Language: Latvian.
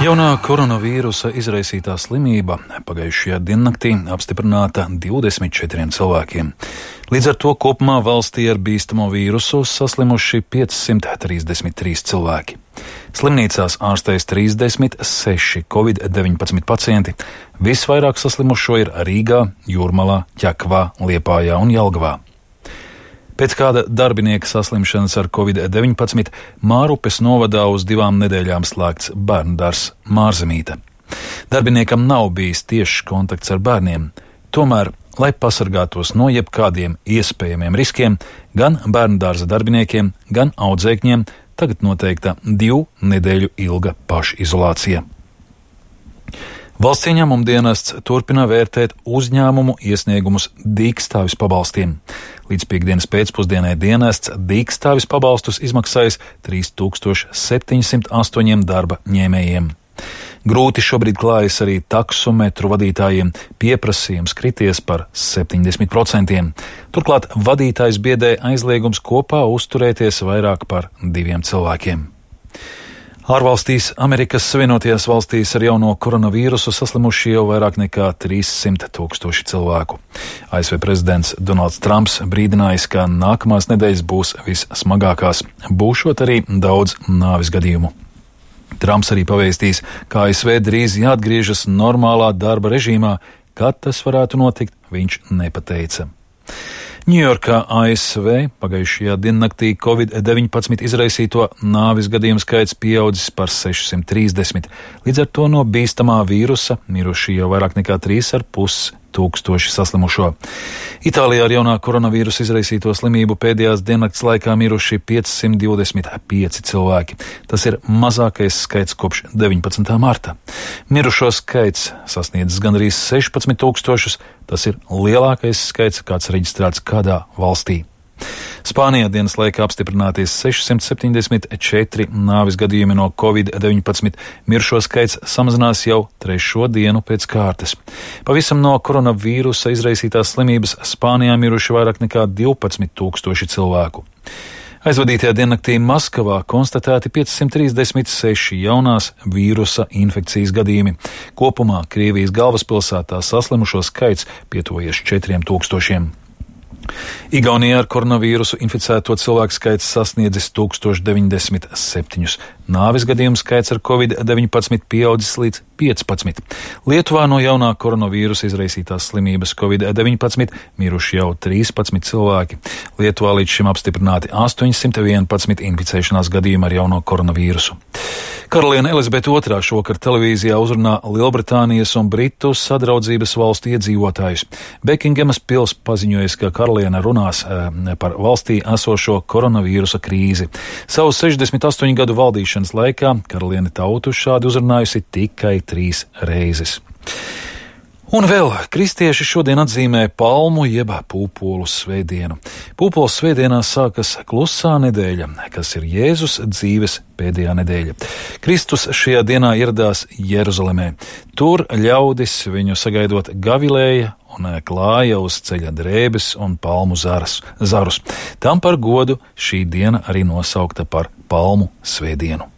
Jaunā koronavīrusa izraisītā slimība pagājušajā diennaktī apstiprināta 24 cilvēkiem. Līdz ar to kopumā valstī ar bīstamo vīrusu saslimuši 533 cilvēki. Slimnīcās ārstējas 36 Covid-19 pacienti. Visvairāk saslimušo ir Rīgā, Jūrmalā, Ķekavā, Liepājā un Jelgavā. Pēc kāda darbinieka saslimšanas ar Covid-19 Mārupes novadā uz 2 nedēļām slēgts bērndārzs Mārzemīte. Darbiniekam nav bijis tiešs kontakts ar bērniem. Tomēr, lai pasargātos no jebkādiem iespējamiem riskiem, gan bērndārza darbiniekiem, gan audzēkņiem tagad noteikta 2 nedēļu ilga pašizolācija. Valsts ieņēmuma dienests turpina vērtēt uzņēmumu iesniegumus dīkstāvis pabalstiem. Līdz piektdienas pēcpusdienai dienests dīkstāvis pabalstus izmaksājis 3708 darba ņēmējiem. Grūti šobrīd klājas arī taksometru vadītājiem, pieprasījums krities par 70%. Turklāt vadītājs biedē aizliegums kopā uzturēties vairāk par 2 cilvēkiem. Ārvalstīs Amerikas Savienotajās valstīs ar jauno koronavīrusu saslimuši jau vairāk nekā 300 000 cilvēku. ASV prezidents Donalds Trumps brīdinājis, ka nākamās nedēļas būs vissmagākās, būšot arī daudz nāves gadījumu. Trumps arī pavēstīs, ka ASV drīz jāatgriežas normālā darba režīmā, kad tas varētu notikt, viņš nepateica. Ņujorkā, ASV, pagājušajā diennaktī Covid-19 izraisīto nāves gadījumu skaits pieaudzis par 630. Līdz ar to no bīstamā vīrusa miruši jau vairāk nekā 3,5 tūkstoši saslimušo. Itālijā ar jaunā koronavīrusa izraisīto slimību pēdējās diennakts laikā miruši 525 cilvēki. Tas ir mazākais skaits kopš 19. marta. Mirušo skaits sasniedzis gandrīz 16 000. Tas ir lielākais skaits, kāds reģistrēts kādā valstī. Spānijā dienas laikā apstiprināties 674 nāves gadījumi no Covid-19. Mirušo skaits samazinās jau 3. dienu pēc kārtas. Pavisam no koronavīrusa izraisītās slimības Spānijā miruši vairāk nekā 12 000 cilvēku. Aizvadītajā diennaktī Maskavā konstatēti 536 jaunās vīrusa infekcijas gadījumi. Kopumā Krievijas galvaspilsētā saslimušo skaits pietuvojies 4000. Igaunijā ar koronavīrusu inficēto cilvēku skaits sasniedzis 1097. Nāves gadījumu skaits ar Covid-19 pieaudzis līdz 15. Lietuvā no jaunā koronavīrusa izraisītās slimības Covid-19 miruši jau 13 cilvēki. Lietuvā līdz šim apstiprināti 811 inficēšanās gadījumi ar jauno koronavīrusu. Karaliene Elizabete II šovakar televīzijā uzrunā Lielbritānijas un Britu sadraudzības valstu iedzīvotājus. Bekingemas pils paziņojas, ka karaliene runās par valstī esošo koronavīrusa krīzi. Savu 68 gadu valdīšanas laikā karaliene tautu šādi uzrunājusi tikai 3 reizes. Un vēl kristieši šodien atzīmē palmu jeb pūpolu svētdienu. Pūpolu svētdienā sākas klusā nedēļa, kas ir Jēzus dzīves pēdējā nedēļa. Kristus šajā dienā ieradās Jeruzalemē. Tur ļaudis viņu sagaidot gavilēja un klāja uz ceļa drēbes un palmu zarus. Tam par godu šī diena arī nosaukta par palmu svētdienu.